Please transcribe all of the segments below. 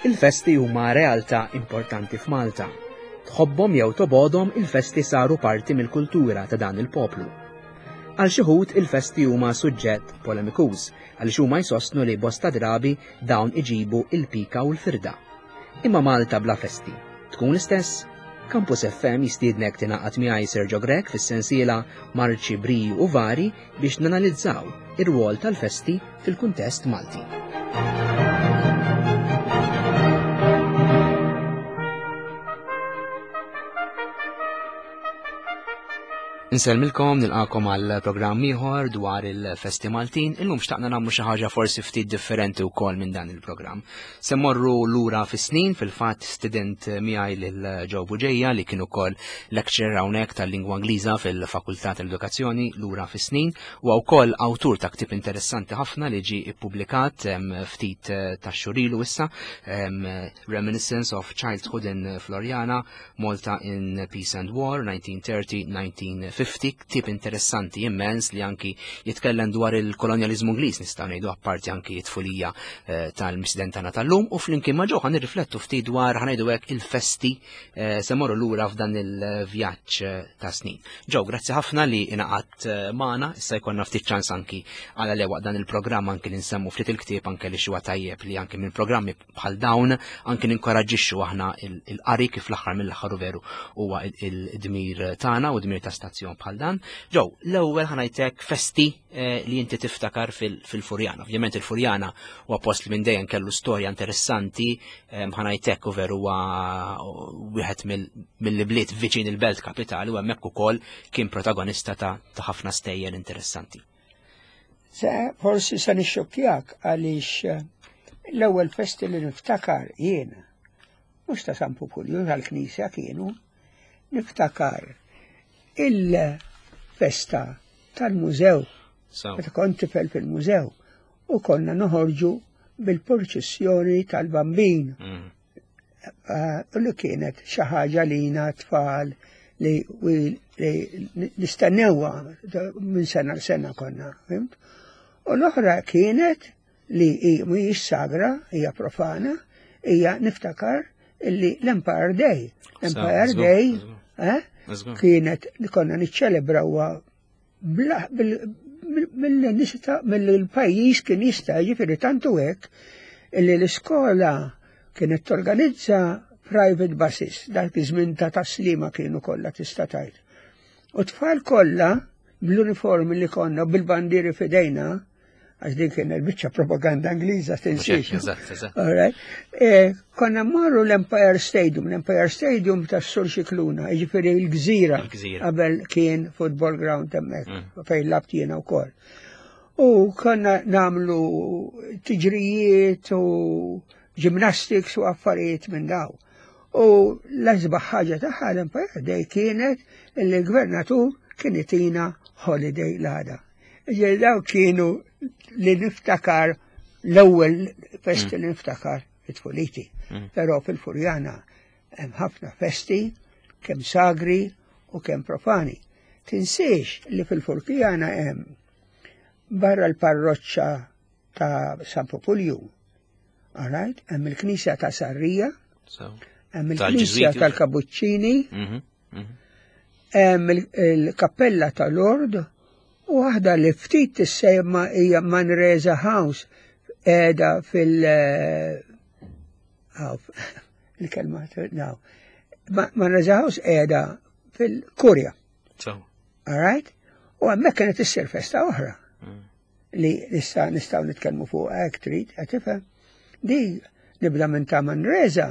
Il-festi huma realtà importanti f'Malta. Tħobbhom jew tobgħodhom il-festi saru parti mill-kultura ta' dan il-poplu. Għal xi wħud il-festi huma suġġett polemikuż għaliex huma jsostnu li bosta drabi dawn iġibu il-pika u l-firda. Imma Malta bla festi tkun l-istess? Campus FM jistiednek tingħaqad miegħi Sergio Grech fis-sensiela Marċi Briju u Vari biex nanalizzaw ir-rwol tal-festi fil-kuntest Malti. Insellmilkom nilqakom għal programm ieħor dwar il-festi Maltin. Illum xtaqna nagħmlu xi ħaġa forsi ftit differenti wkoll minn dan il-programm. Se morru lura fis-snin fil-fatt student miegħi lil Joe Buġeja li kien ukoll lecturer hawnhekk tal-lingwa Ingliża fil-Fakultà tal-Edukazzjoni lura fis-snin u wkoll awtur ta' ktieb interessanti ħafna li ġie ippubblikat ftit eh, ta' xurilu issa Reminiscence of Childhood in Floriana Malta in Peace and War 1930-1950, ktib interessanti immens li anki jitkellem dwar il-kolonjalizmu Ingliż nistgħu ngħidu apparti anki t-tfulija eh, tal-misden tagħna tal-lum u flimkien ma' ġo nirriflettu ftit dwar ħanejdu hekk il-festi eh, se morru lura f'dan il-vjaġġ eh, ta' snin. Ġo, grazzi ħafna li ingħaqadt magħna, issa jkollna ftit ċans anki għala lewaq dan il-programm anki li nsemmu ftit il-ktieb anke li xi tajjeb li anki minn programmi bħal dawn anki ninkoraġġixxu aħna il-qari kif l-aħħar mill-aħħar u veru huwa il-dmir tagħna u dmir ta' stazzjon bħal dan. Ġew, l-ewwel ħanajtek festi eh, li inti tiftakar fil-Furjana. Ovvjament il-Furjana huwa post li minn dejjem kellu storja interessanti, eh, ħanajtek u veru huwa wieħed mill-bliet viċin il-belt kapitali u hemmhekk ukoll kien protagonista ta' ħafna stejjer interessanti. Se forsi se nixxokkjak għaliex eh, l-ewwel festi li niftakar jien mhux ta' San Pupulju tal-Knisja kienu, niftakar il-festa tal-mużew. Meta kont tifel fil-mużew u konna noħorġu bil-purċissjoni tal-bambin. Mm. Eh, li kienet xi ħaġa lina tfal li nistennewha minn sena l sena konna, fimt? U l-oħra kienet li mhijiex sagra, hija profana, hija niftakar illi l-Empire Day. L-Empire Day eh, kienet li konna niċċelebrawha mill-pajjiż kien jista' jiġifieri tantu hekk illi l-iskola kienet torganizza private buses, dak iż-żmien ta' taslima kienu kollha tista' tgħid. U tfal kollha bl-uniformi li konna bil-bandieri fidejna, għax din kien il-biċċa propaganda Ingliża tinsiex. E, konna marru l-Empire Stadium, l-Empire Stadium ta' Sur Xikluna, jiġifieri l-gżira qabel kien football ground hemmhekk mm. fejn labt jiena wkoll. U konna namlu tiġrijiet u gymnastics u affarijiet minn daw. U l-asbaħ ħaġa tagħha l-Empire Day kienet li l-gvernatur kien itina holiday l-għada. Ġej daw kienu li niftakar l-ewwel festi mm. li niftakar it-tfuliti. Mm. Però fil-Furjana hemm ħafna festi kemm sagri u kemm profani. Tinsiex li fil-Furjana hemm barra l-parroċċa ta' San Populju, alright, hemm il-knisja ta' Sarrija, hemm il-knisja tal-Kabuċċini, mhm. Hemm il-kappella ta' Lord u waħda li ftit tissejma hija Manresa House qiegħda fil- eh, il-kelma naw. Manresa House qiegħda fil-Kurja. All right? U hemmhekk kienet issir festa oħra. Mm. Li nista' nistgħu nitkellmu fuq hekk trid, qed tifhem. Di nibda minn ta' Manresa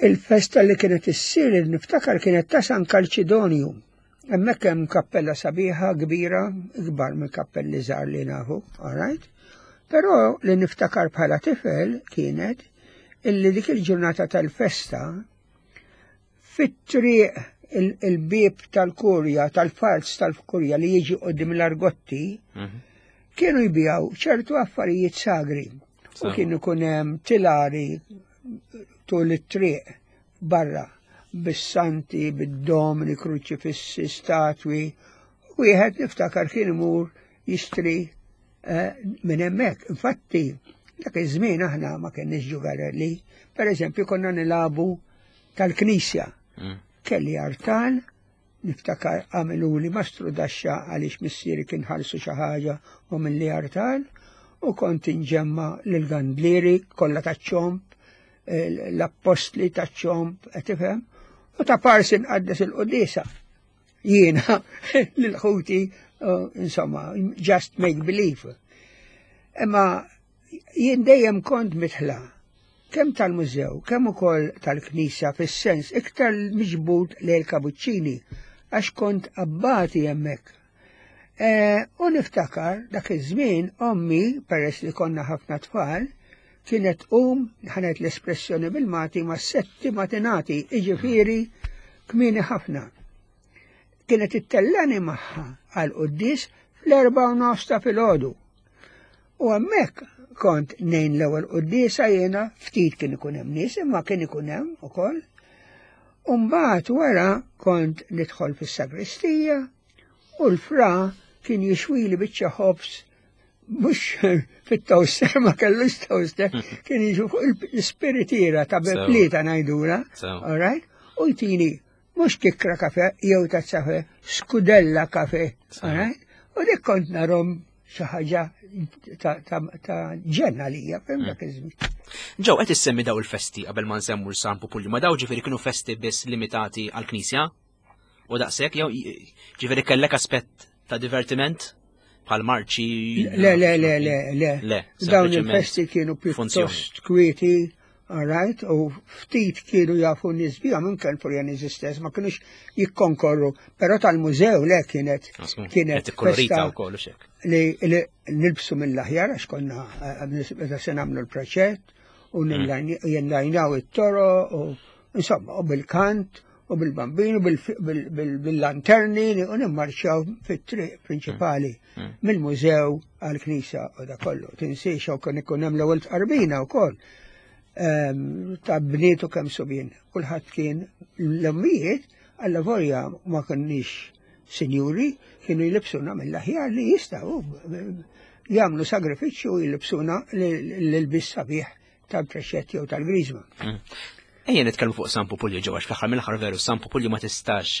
Il-festa li kienet issir li niftakar kienet ta' San Kalċidonju. Hemmhekk hemm kappella sabiħa kbira, ikbar minn kappelli żgħar li nafu, all right? Però li niftakar bħala tifel kienet illi dik il-ġurnata tal-festa fit-triq il-bieb tal-kurja, tal-farz tal-kurja li jiġi qoddim l-argotti, mhm. kienu jbijaw ċertu affarijiet sagri. U kienu kunem tilari tul it-triq barra bis-santi, bid-domni, kruċifissi, statwi. Wieħed niftakar kien imur jixtri eh, minn hemmhekk. Infatti, Dak iż-żmien aħna ma kenniex ġugarelli. Per eżempju, konna nilagħbu tal-knisja. Kelli artal, niftakar għamiluli mastru daxxa għaliex missieri kien ħalsu xi ħaġa u milli artal, u kont inġemma lill-gandlieri kollha taċ-ċomb, l-appostli taċ-ċomb, qed tifhem? U ta' parsi nqaddes il-quddiesa. Jiena lil ħuti, insomma, just make believe. Imma jien dejjem kont mitħla kemm tal-mużew, kemm ukoll tal-knisja fis-sens iktar miġbud lejn il-Kabuċċini għax kont abbati hemmhekk. U niftakar dak iż-żmien ommi, peress li konna ħafna tfal, kienet tqum, ħanet l-espressjoni bil-Malti, ma' setti matinati, iġifieri kmieni ħafna. Kienet ittellani magħha għal quddies fl-4:30 ta' filgħodu. U hemmhekk kont nejn l-ewwel quddiesa jiena, ftit kien ikun hemm nies, imma kien ikun hemm ukoll. U mbagħad wara kont nidħol fis-sagristija u l-fra kien jixwili biċċa ħobż mhux fit-toaster, ma kellux toaster, kien jiġu fuq l-ispiritiera ta' beplita ngħidula, all right? U jtini mhux kikra kafe jew tazza kafe, skudella kafe, all right? U dik kont narom xi ħaġa ta' ġenna lija, fim dak iż-żmien. Ġew qed issemmi daw il-festi qabel ma nsemmu l-San Pupulju, ma daw ġifieri kienu festi biss limitati għall-Knisja? U daqshekk jew ġifieri kellek aspett ta' divertiment bħal marċi? Le, le, le, le, le. Le, Dawn il-festi kienu pjuttost kwieti, all right, u ftit kienu jafu nies bihom, anke l-Furjaniżi stess ma kienux jikkonkorru, però tal-mużew le kienet kienet festa wkoll li nilbsu mill-aħjar għax konna meta se nagħmlu l-preċett u jenlajnaw it-toro u insomma u bil-kant u bil-bambin u bil-lanterni u nimmarċaw fit-triq prinċipali mill-mużew għal-knisja u da kollu. Tinsiex u kien ikun hemm l-ewwel tqarbina wkoll ta' bnietu kemm subien. Kulħadd kien l-ommijiet għalla volja ma konniex sinjuri kienu jlibsuna mill-aħjar li jistgħu jagħmlu sagrifiċċju u jlibsuna l-ilbis sabiħ tal-preċett jew tal-griżma. Ejja nitkellmu fuq San Pupulju ġewwa fl-aħħar mill-aħħar veru San Pupulju ma tistax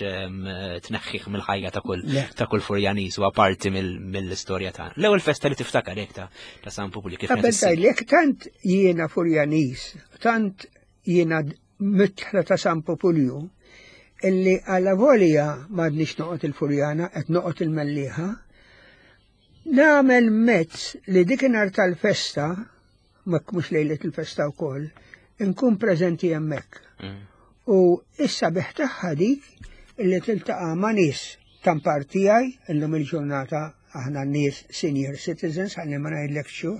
tneħħih mill-ħajja ta' kull Furjaniż u parti mill-istorja tagħna. L-ewwel festa li tiftakar hekk ta' San Pupulju kif Qabel tgħidlek tant jiena Furjaniż, tant jiena mitħla ta' San Pupulju, illi għala volja m'għadniex noqgħod il-Furjana qed noqgħod il-Mellieħa, nagħmel mezz li dikinhar tal-festa mhux lejlet il-festa wkoll, inkun preżenti hemmhekk. U issa biħ tagħha dik illi tiltaqa' ma' nies tampar tiegħi illum il-ġurnata aħna nies senior citizens ħalli ma ngħidlek xu.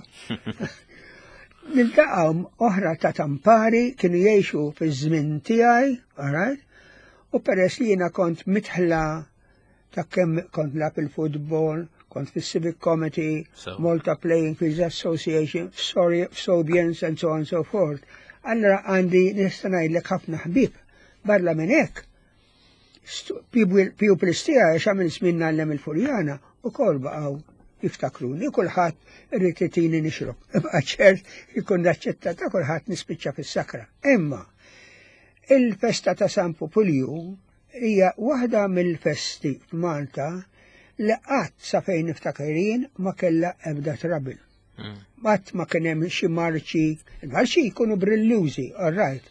Niltaqgħu oħra ta' tampari kienu jgħixu fiż-żmien tiegħi, all right? U peress li jiena kont mitħla ta' kemm kont nilgħab il-futbol, kont fis-Civic Committee, Malta Playing Fields Association, f'Sobians and so on and so forth. Allora għandi nista' ngħidlek ħafna ħbieb. Barra minn hekk, pupils tiegħi għax għamil żmien ngħallem il-Furjana ukoll baqgħu jiftakruni, kulħadd irid itini nixrob. Ibqa' ċert ikun naċċettata kulħadd nispiċċa fis-sakra. Imma il-festa ta' San Pupulju hija waħda mill-festi f'Malta li qatt sa fejn niftakar jien ma kellha ebda trouble. Qatt ma kien hemm xi marċi, il-marċi jkunu brillużi, all right,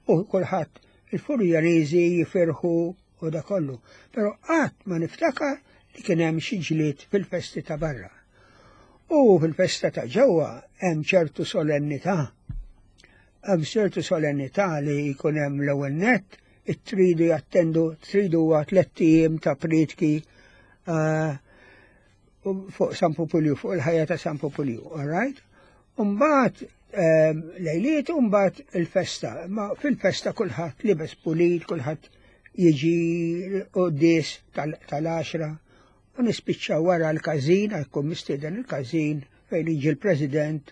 u kulħadd il-Furjaniżi jifirħu u da kollu, però qatt ma niftakar li kien hemm xi ġlied fil-festi ta' barra. U fil-festa ta' ġewwa hemm ċertu solennità. Hemm ċertu solennità li jkun hemm l-ewwel nett, it-tridu jattendu, tridu huwa 3 ijiem ta' prietki fuq San Pupulju, fuq il-ħajja ta' San Pupulju, all right? Umbagħad lejliet, umbagħad il-festa. Ma fil-festa kulħadd libes pulit, kulħadd jiġi quddies tal-10 u nispiċċaw wara l-każin, jkun mistieden il-każin fejn jiġi l-President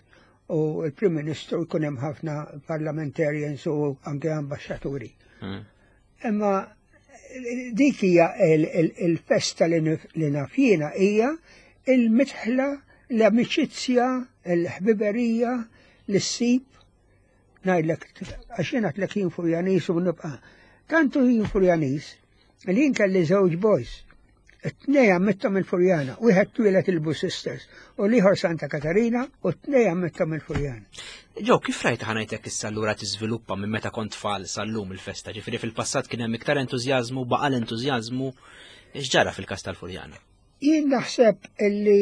u l-Prim Ministru, jkun hemm ħafna parliamentarians u anke ambasċaturi. Imma dik hija il-festa li naf jiena hija il-mitħla, l-amicizja, il-ħbiberija. li ssib ngħidlek għax jien għedtlek jien Furjanis u nibqa'. Tantu jien Furjanis li jien kelli żewġ boys. It-tnej għammittom il-Furjana, wieħed twieled il-Blue Sisters u l-ieħor Santa Katarina u t-tnej għammittom il-Furjana. Ġew, kif rajt ħanajtek issa allura tiżviluppa minn meta kont tfal sal-lum il-festa? Ġifieri fil-passat kien hemm iktar entużjażmu, baqa' l-entużjażmu, x'ġara fil-każ tal-Furjana? Jien naħseb illi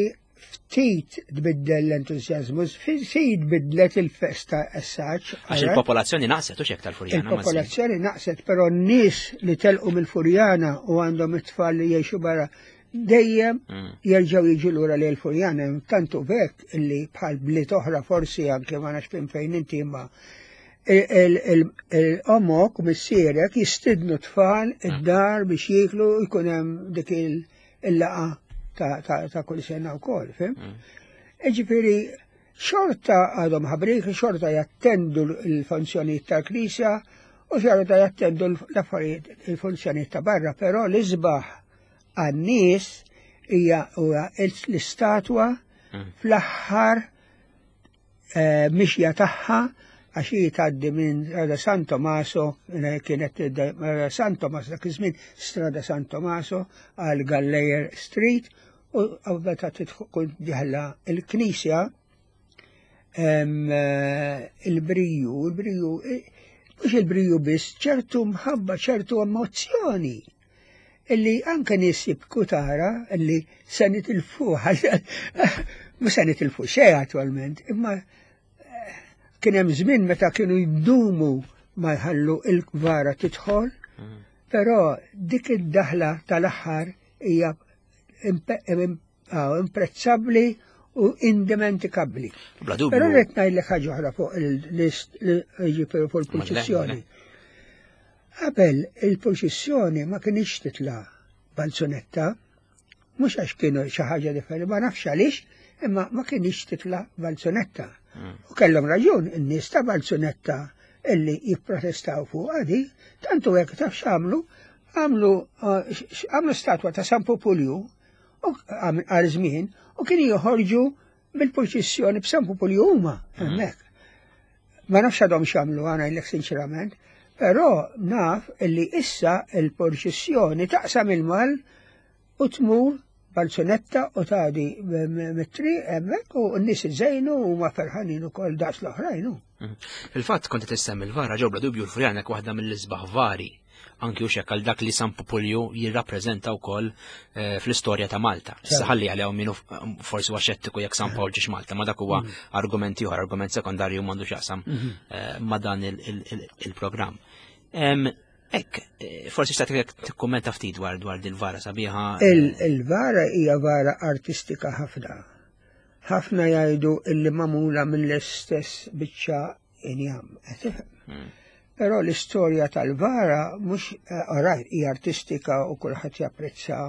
ftit tbiddel l-entużjażmu, ftit tbiddlet il-festa essaċ. Għax il-popolazzjoni naqset u xek tal-Furjana. Il-popolazzjoni naqset, però n-nies li telqu mill-Furjana u għandhom it-tfal li jgħixu barra dejjem mm. jerġgħu jiġu lura lejn il-Furjana, tantu vek illi bħal bliet oħra forsi anke ma nafx fejn fejn inti imma il-omok u missierek jistidnu tfal mm. id-dar biex jieklu jkun hemm dik il-laqa ta' kull sena wkoll, fim? Mm. Ġifieri xorta għadhom ħabrik, xorta jattendu l-funzjonijiet tal-Knisja u xorta jattendu l-affarijiet il-funzjonijiet ta' barra, però l-isbaħ għan-nies hija l-istatwa mm. fl-aħħar eh, mixja tagħha għax hi tgħaddi minn Strada San Tomaso, eh, kienet eh, San Tomaso dak iż-żmien Strada San Tomaso għal Galleyer Street u meta tkun diħla il-knisja il-briju, il-briju, mhux il-briju biss, ċertu mħabba, ċertu emozzjoni illi anke nies jibku tara illi se nitilfu, mhux se nitilfu xejn attwalment, imma eh, kien hemm żmien meta kienu jdumu ma jħallu il-vara tidħol, mm. però dik id-daħla tal-aħħar hija imprezzabbli u indimentikabbli. Però rrid ngħidlek ħaġa oħra fuq il-list ġifieri fuq il-purċissjoni. Qabel il-purċissjoni ma kinitx titla' balzunetta, mhux għax kienu xi ħaġa differenti, ma nafx għaliex, imma ma kinitx titla' balzunetta. Mm. U kellhom raġun in-nies ta' balzunetta illi jipprotestaw fuq għadi, tantu hekk taf x'għamlu, għamlu eh, għamlu statwa ta' San Populju għal żmien u kienu joħorġu bil-purċissjoni b'San Populju huma mm. hemmhekk. Ma nafx għadhom x'għamlu għana jlek sinċerament, però naf illi issa il-purċissjoni taqsam il-mal u tmur balzunetta u tgħaddi mit-triq hemmhekk u n-nies iżejnu u ma ferħanin ukoll daqs l-oħrajn. Mhm. Fil-fatt kont qed issemmi l-vara ġew bla dubju l-Furjana waħda mill-isbaħ vari anki u xek għal dak li San Pupulju jirrappreżenta wkoll eh, fl-istorja ta' Malta. Issa ħalli għalihom minnu forsi huwa xettiku jekk San Pawl ġiex Malta, ma dak huwa mm. argument ieħor, argument sekondarju m'għandu x'jaqsam mm-hmm. eh, ma dan il-programm. Ekk, eh, forsi xtaqt jekk tikkummenta ftit dwar dwar dil-vara sabiħa. Il-vara hija vara artistika ħafna. Ħafna jgħidu illi magħmula mill-istess biċċa injam. Hmm. Però l-istorja tal-vara mhux eh, orajt hija artistika u kulħadd japprezza.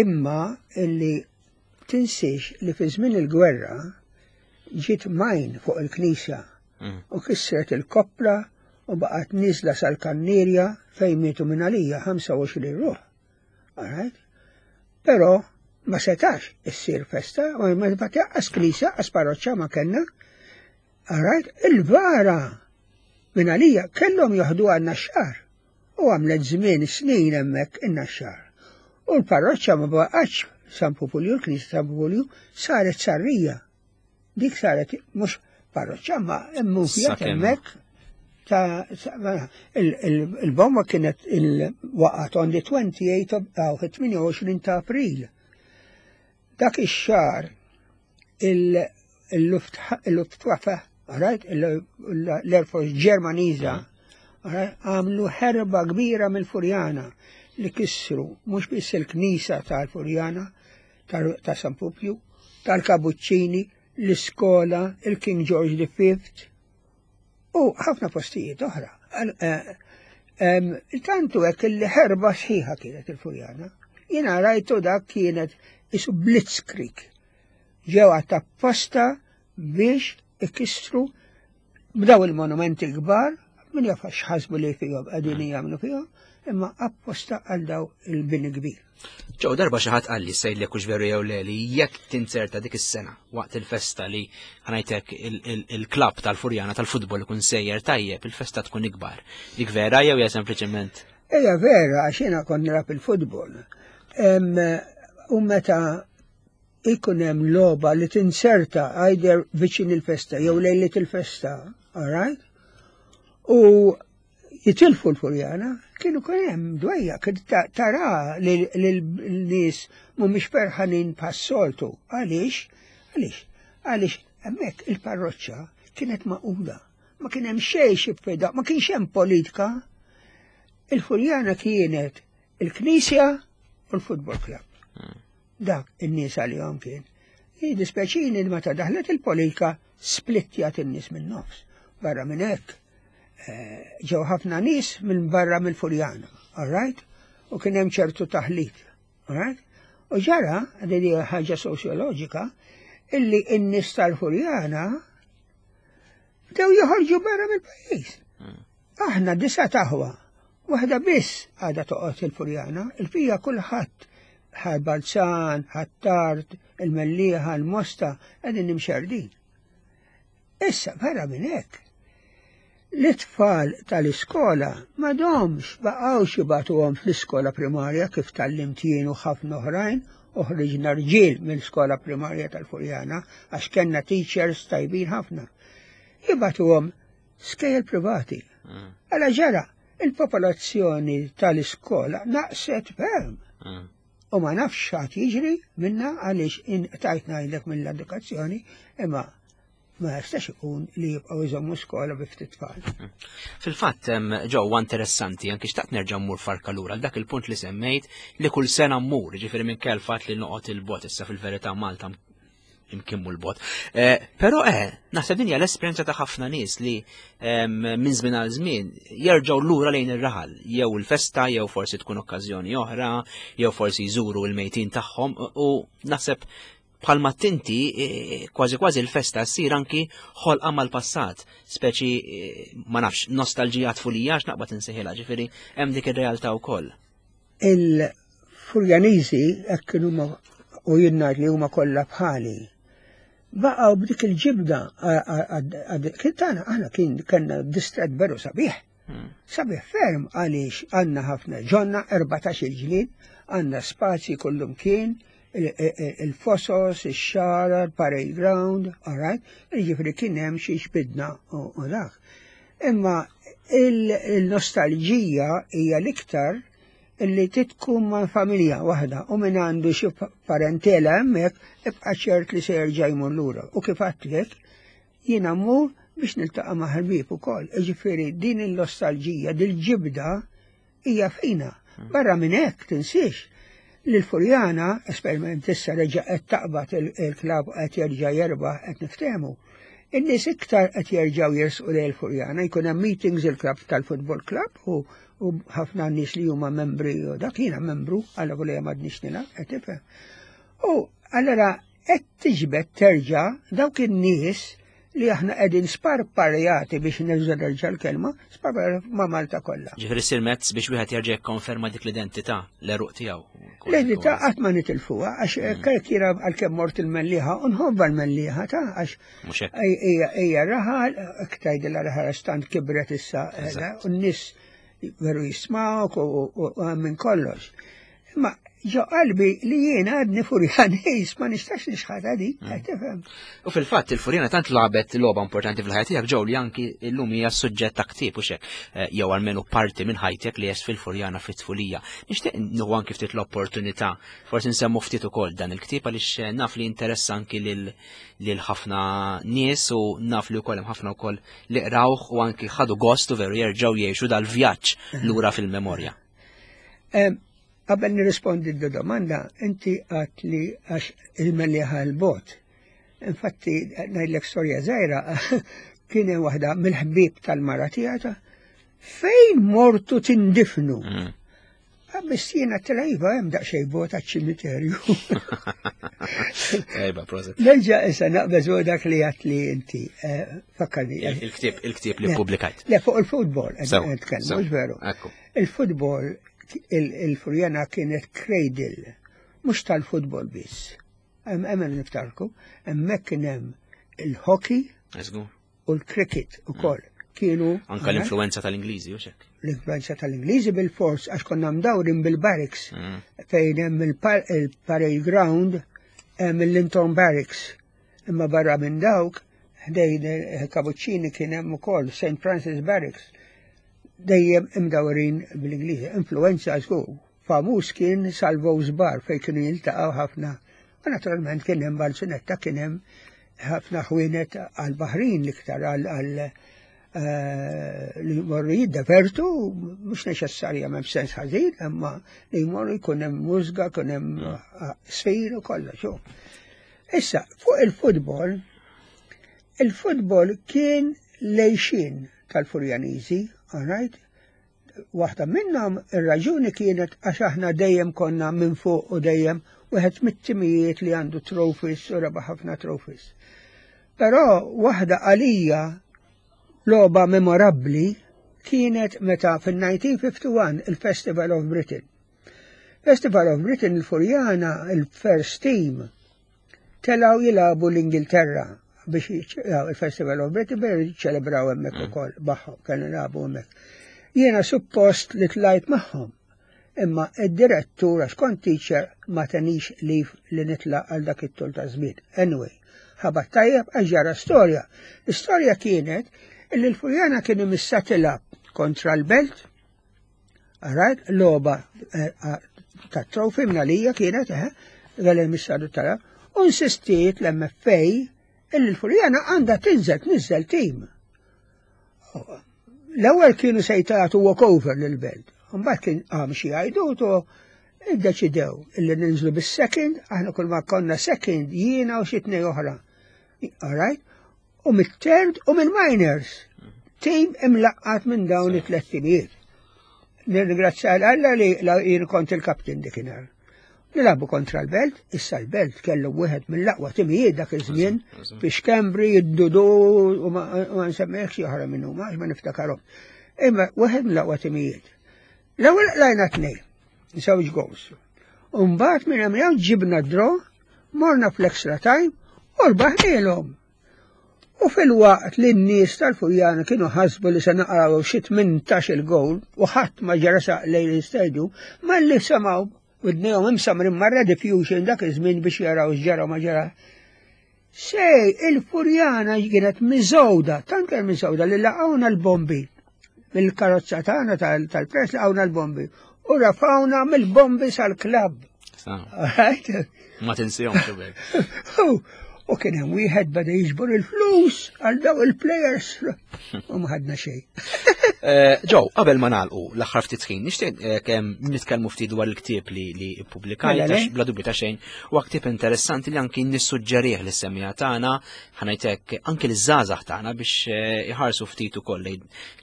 Imma illi tinsiex li fi żmien il-gwerra ġiet majn fuq il-knisja mm. u kissret il-koppla u baqgħet niżla sal-kannierja fejn mietu minn għalija 25 ruħ. Alright? Però ma setax issir festa, ma ma taqqas knisja, qas parroċċa ma kellna. Alright? Il-vara minn għalija kellhom joħdu għandna xar u għamlet żmien snin hemmhekk in-naxxar. U l-parroċċa ma baqgħetx San Pupulju, l-Knisja San Pupulju saret sarrija. Dik saret mhux parroċċa ma mmufjat hemmhekk ta' il-bomba kienet il-waqgħet on the 28 of 28 ta' April. Dak ix-xahar il-Luftwaffe, right, l-Air Force Ġermaniża, għamlu ħerba kbira mill-Furjana li kissru mhux biss il-knisja tal-Furjana ta' San Pupju, tal-Kabuċċini, l-iskola, il-King George V u ħafna postijiet oħra. Eh, tantu hekk li ħerba sħiħa kienet il-Furjana. Jiena rajtu dak kienet isu blitzkrieg. Ġew apposta biex ikissru b'daw il-monumenti kbar, min jaf x'ħasbu li fihom qegħdin jagħmlu fihom. imma apposta għal daw il-bini kbir. Ġew darba xi ħadd qalli sejlek hux veru jew le li jekk tinzerta dik is-sena waqt il-festa li ħanajtek il-klabb tal-Furjana tal-futbol ikun sejjer tajjeb, il-festa tkun ikbar. Dik vera jew hija sempliċement? Ejja vera għax jiena kont nilgħab il-futbol. U meta ikun hemm logħba li tinserta either viċin il-festa jew lejliet il-festa, all right? U jitilfu l-Furjana, kienu kien hemm dwejja, kien tara li l-nies mhumiex ferħanin bħas-soltu. Għaliex? Għaliex? Għaliex hemmhekk il-parroċċa kienet maquda. Ma kien hemm xejn xi ma kienx hemm politika. Il-Furjana kienet il-Knisja u l-Football Club. Dak in-nies għalihom kien. Jiddispjaċini li meta daħlet il-politika splittjat in-nies minn nofs. Barra minn hekk eh, ġew ħafna nies minn barra mill-Furjana, all right? U kien hemm ċertu taħlit, all right? U ġara, din hija ħaġa sosjoloġika, illi n-nies tal-Furjana bdew joħorġu barra mill-pajjiż. Aħna disa taħwa, waħda biss għadha toqgħod il-Furjana, il-fija kulħadd ħal Balzan, ħat-Tard, il-Mellieħa, il-Mosta, qegħdin nimxerdin. Issa barra minn hekk, l-itfal tal-iskola m'għadhomx baqgħux jibagħtuhom fl-iskola primarja kif tgħallimt jien u ħafna oħrajn u ħriġna rġiel mill-iskola primarja tal-Furjana għax kellna teachers tajbin ħafna. Jibagħtuhom skejjel privati. Mm. Għala ġara, il-popolazzjoni tal-iskola naqset ferm. Mm. U ma nafx x'għad jiġri minna għaliex inqtajt ngħidlek mill-edukazzjoni, imma ma jistax ikun li jibqgħu jżommu skola bi ftit tfal. Mm. Fil-fatt ġewwa interessanti anki xtaqt nerġa' mmur farka lura għal dak il-punt li semmejt li kull sena mmur, ġifieri minn kell fatt li noqgħod il-bot issa fil-verità Malta imkien mhu l-bot. Eh, però eh, naħseb din hija l-esperjenza ta' ħafna nies li minn żmien għal żmien jerġgħu lura lejn ir-raħal, jew il-festa, jew forsi tkun okkażjoni oħra, jew forsi jżuru l-mejtin tagħhom u naħseb bħalma tinti eh, kważi kważi l-festa ssir anki ħolqa mal-passat, speċi eh, ma nafx nostalġija tfulija għax naqbad insejħilha, ġifieri hemm dik ir-realtà wkoll. Il-Furjaniżi hekk kienu u jien ngħid li huma kollha bħali. Baqgħu b'dik il-ġibda kien tagħna aħna kien kellna distret veru sabiħ. Hmm. Sabiħ ferm għaliex għandna ħafna ġonna 14 il-ġlien, għandna spazji kullum kien, il-fosos, ix-xara, il-parade ground, all right? Jiġifieri kien hemm xi xbidna u dak. Imma il-nostalġija hija l-iktar illi titkun ma' familja waħda u minn għandu xi parentela hemmhekk ibqa' ċert li se jerġa' jmur lura. U kif għedtlek, jiena mmur biex niltaqa' ma' ħbieb ukoll. Jiġifieri din il-nostalġija, dil-ġibda hija fina. Hmm. Barra minn hekk tinsiex li l-Furjana, esperiment issa reġa' qed taqbad il-klab qed jerġa' jerbaħ qed niftehmu. In-nies iktar qed jerġgħu jersqu lejn il-Furjana, jkun hemm meetings il-klabb tal-football club u u ħafna nies li huma membri u dak jiena membru għal volja m'għadniex nilgħab qed tifhem. U allura qed tiġbed terġa' dawk in-nies li aħna qegħdin sparparjati biex nerġa' nerġa' l-kelma, sparparjati ma' Malta kollha. Ġifieri ssir mezz biex wieħed jerġa' jikkonferma dik l-identità, l-għeruq tiegħu. L-identità qatt ma nitilfuha għax mm. kif jiena għalkemm mort il-Mellieħa u nħobba l-Mellieħa ta' għax Ija raħal, ktajdilha raħal stant kibret issa, eh, u n-nies veru jismawk u minn kollox. Imma ġo qalbi li jiena għadni furjanis ma nistax nixħata di, mm. tifhem. U fil-fatt il-furjana tant lagħbet logħba importanti fil-ħajja tiegħek ġew li anki llum hija suġġett ta' ktieb u xek eh, jew almenu parti minn ħajtek li jes fil-furjana fit-tfulija. Nixtieq nieħu anki ftit l-opportunità forsi nsemmu ftit ukoll dan il-ktieb għaliex eh, naf li interessa anki lil lil ħafna nies u naf li wkoll hemm ħafna wkoll li qrawh u anki ħadu gost u veru jerġgħu jgħixu dal-vjaġġ lura fil-memorja. Qabel nirrispondi d-domanda, inti għat li għax il-Mellieħa l-bot. Infatti, ngħidlek storja żgħira, kien hemm waħda mill-ħbieb tal-mara tiegħek fejn mortu tindifnu. Mm. Biss jiena tela iva hemm daqsxejn bot għaċ-ċimiterju. Ejba, proset. Nerġa' issa naqbeż u dak li għat li inti eh, fakkarni. Il-ktieb il-ktieb li publikajt. Le fuq il-futbol qed nitkellmu, mhux veru. Il-futbol il-Furjana kienet cradle, mhux tal-futbol biss. Hemm niftarku, hemmhekk kien hemm il-hockey u l-cricket ukoll. Kienu Anka l-influenza tal-Ingliżi u xek. L-influenza tal-Ingliżi bil-fors għax konna mdawrin bil-barracks fejn hemm il-parade ground hemm il-Linton Barracks. Imma barra minn dawk ħdejn il-Kabuċċini kien hemm ukoll St. Francis Barracks dejjem imdawrin bl-Ingliżi. Influenza żgur. Famuż kien Salvo's Bar fejn kienu jiltaqgħu ħafna. U naturalment kien hemm Balzunetta kien hemm ħafna ħwienet għal-baħrin l-iktar għal eh, li jmorru jiddevertu, mhux neċessarjament b'sens ħażin, imma li jmorru jkun hemm mużga, jkun hemm eh, sfir u kollox. Issa, fuq il-futbol, il-futbol kien lejxin tal-Furjaniżi, all right? Waħda minnhom ir-raġuni kienet għax aħna dejjem konna minn fuq u dejjem wieħed mit-timijiet li għandu trophies u rebaħ ħafna trophies. Però waħda għalija logħba memorabbli kienet meta fil-1951 il-Festival of Britain. Festival of Britain il-Furjana, il-first team, Telgħu jilagħbu l-Ingilterra biex il-Festival of Britain biex jiċċelebraw hemmhekk mm. ukoll magħhom kienu jilagħbu hemmhekk. Jiena suppost li tlajt magħhom. Imma id-direttur għax kont teacher ma tenix lif li nitla għal dak it-tul ta' żmien. Anyway, ħabat tajjeb għax ġara storja. L-istorja kienet li l-Furjana kienu missa tilab kontra l-Belt Rajt logħba eh, ta' trofi mnalija kienet, eh, għal il-missadu tara, u insistiet l-MFA illi l-Furjana għandha tinżel tniżel tim. L-ewwel kienu se jtagħtu walkover lill-belt. Mbagħad kien qam xi għajdut u iddeċidew illi ninżlu bis-second, aħna kull ma konna second jiena u xi tnej oħra. All right? U mit-third u mill-minors. Tim imlaqqat minn dawn it-tlet timijiet. Nirringrazzja l-Alla li jien kont il-kaptin dikinhar. Nilabu kontra l-Belt, issa l-Belt kellu wieħed mill-aqwa timijiet dak iż-żmien biex Kembri jiddudu u ma nsemmihx xi oħra minnu ma ma niftakarhom. Imma wieħed mill-aqwa timijiet. L-ewwel qlajna tnejn, żewġ goals. U mbagħad minn hemm ġibna draw, morna fl-extra time u rbaħnielhom. U filwaqt li n-nies tal-Furjana kienu ħasbu li se naqraw xi 18 il-gowl u ħadd ma ġara saq lejn l-istadium, malli semgħu widnejhom imsamrin marra diffusion dak iż-żmien biex jaraw x'ġara ma ġara. Sej, il-Furjana kienet miżgħuda, tant kien miżgħuda li laqgħuna l-bombi. Mill-karozza tagħna tal-press laqgħuna l-bombi u rafawna mill-bombi sal-klabb. Ma tinsihom xubek. U kien hemm wieħed beda jiġbor il-flus għal daw il-players u ma ħadna xejn. Eh, Ġew, qabel ma nagħlqu l-aħħar ftit ħin, nixtieq eh, kemm nitkellmu ftit dwar il-ktieb li li ippubblikajt mela, għax bla dubju ta' xejn huwa ktieb interessanti li anki nissuġġerih lis-semija tagħna ħanajtek anki l-żgħażagħ tagħna biex eh, iħarsu ftit ukoll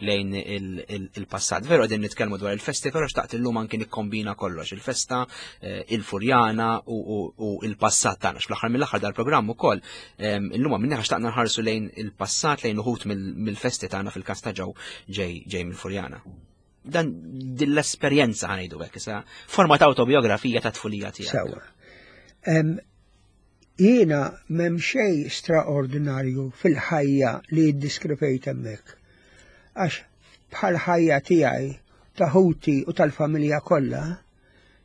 lejn il-passat. Veru qegħdin nitkellmu dwar il-festi, però xtaqt illum anki nikkombina kollox, il-festa, eh, il-furjana u il-passat tagħna. Fl-aħħar mill-aħħar dal-programm ukoll ehm, illum minna xtaqna nħarsu lejn il-passat lejn uħut mill-festi tagħna fil-każ ta' ġew ġej mill-furjana. Dan din l-esperjenza ħanejdu hekk issa forma ta' autobiografija ta' tfulija tiegħek. Sewa. Jiena m'hemm xejn straordinarju fil-ħajja li ddiskrivejt hemmhekk. Għax bħall-ħajja tiegħi, ta' ħuti u tal-familja kollha,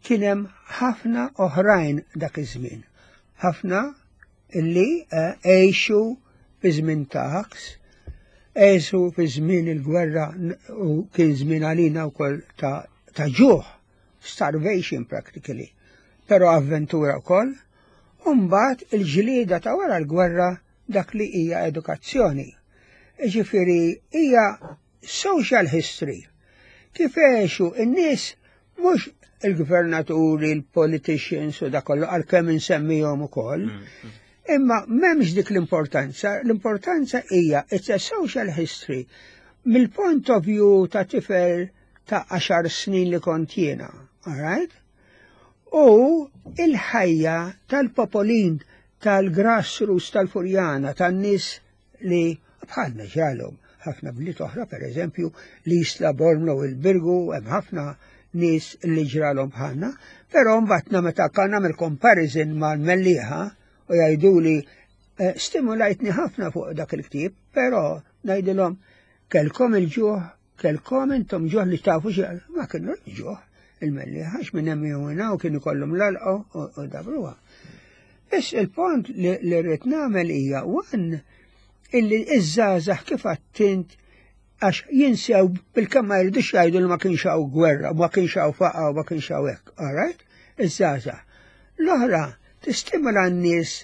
kien hemm ħafna oħrajn dak iż-żmien. Ħafna illi eh, għexu fi żmien ta' ħaks, għexu fi żmien il-gwerra u kien żmien għalina wkoll ta' ta' ġuħ starvation practically, però avventura wkoll, u mbagħad il-ġlieda ta' wara l-gwerra dak li hija edukazzjoni. Ġifieri hija social history. Kif għexu n-nies mhux il-gvernaturi, il-politicians u dak kollu għalkemm insemmihom ukoll. Mm, mm. Imma m'hemmx dik l-importanza, l-importanza hija it's a social history mill-point of view ta' tifel ta' għaxar snin li kont jiena, all right? U il-ħajja tal-popolin tal-grassroots tal-Furjana, tan-nies li bħalna ġralhom ħafna bliet oħra, per eżempju, l-Isla, Bormla u l-Birgu, hemm ħafna nies li ġralhom bħalna, però mbagħad meta kan nagħmel comparison mal-Mellieħa u jgħiduli eh, stimulajtni ħafna fuq dak il-ktieb, però ngħidilhom kelkom il-ġuħ, kelkom intom ġuħ li tafu xi ma kienu ġuħ il-Mellieħa għax minn hemm jew u kienu kollhom l-alqa u dabruha. Biss il-pont li rrid nagħmel hija one illi iż-żgħażagħ kif għattint għax jinsew bil-kemm ma jridux jgħidu li ma kienx hawn gwerra, ma kienx hawn faqa u ma kienx hawn hekk, all right? Iż-żgħażagħ. L-oħra tistimula n-nies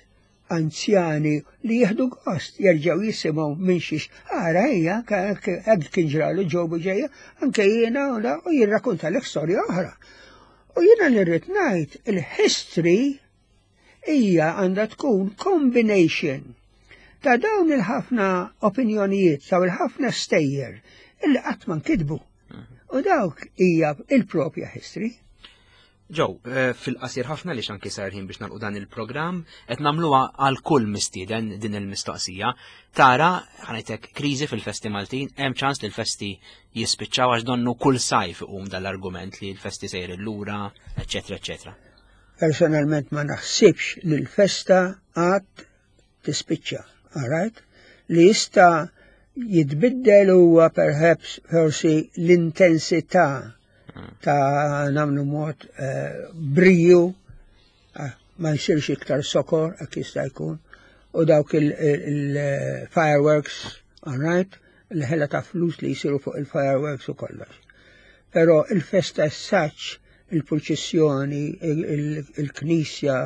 anzjani li jieħdu gost jerġgħu jisimgħu minn xiex. Ara hija hekk kien ġralu ġew ġejja, anke jiena u jirrakkonta lek storja oħra. U jiena li rrid ngħid il-history hija għandha tkun combination ta' dawn il-ħafna opinjonijiet, ta' il-ħafna stejjer illi qatt ma nkitbu. U dawk hija il-propja history. Joe, eh, fil-qasir ħafna li xanki sar ħin biex nagħlqu dan il-programm, qed nagħmluha għal kull mistieden din il-mistoqsija. Tara, ħanajtek, kriżi fil-festi Maltin, hemm ċans li l-festi jispiċċaw għax donnu kull sajf iqum dal-argument li l-festi sejr lura, eċetera, eċetera. Personalment ma naħsibx li l-festa għad tispiċċa, alright? Li jista' jitbiddel huwa perhaps forsi l-intensità ta' namlu mod eh, briju, ah, ma jsirx iktar sokor, hekk jista' jkun, u dawk il-fireworks, alright? L-ħela ta' flus li jisiru fuq il-fireworks u kollox. Però il-festa s-saċ, il-purċissjoni, il-knisja,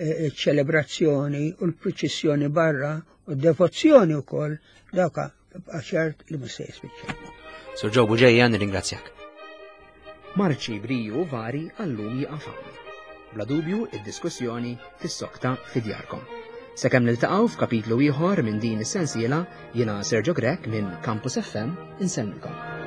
il-ċelebrazzjoni u l-purċissjoni barra u d-devozzjoni u koll, dawka ċert li mhux se jispiċċa. Sur Joe Buġeja, nirringrazzjak. Marċi briju vari għallum jiqaf hawn. Bla dubju, id-diskussjoni tissokta fi djarkom. Sakemm niltaqgħu f'kapitlu ieħor minn din is-sensiela, jiena Sergio Grech minn Campus FM insellmilkom.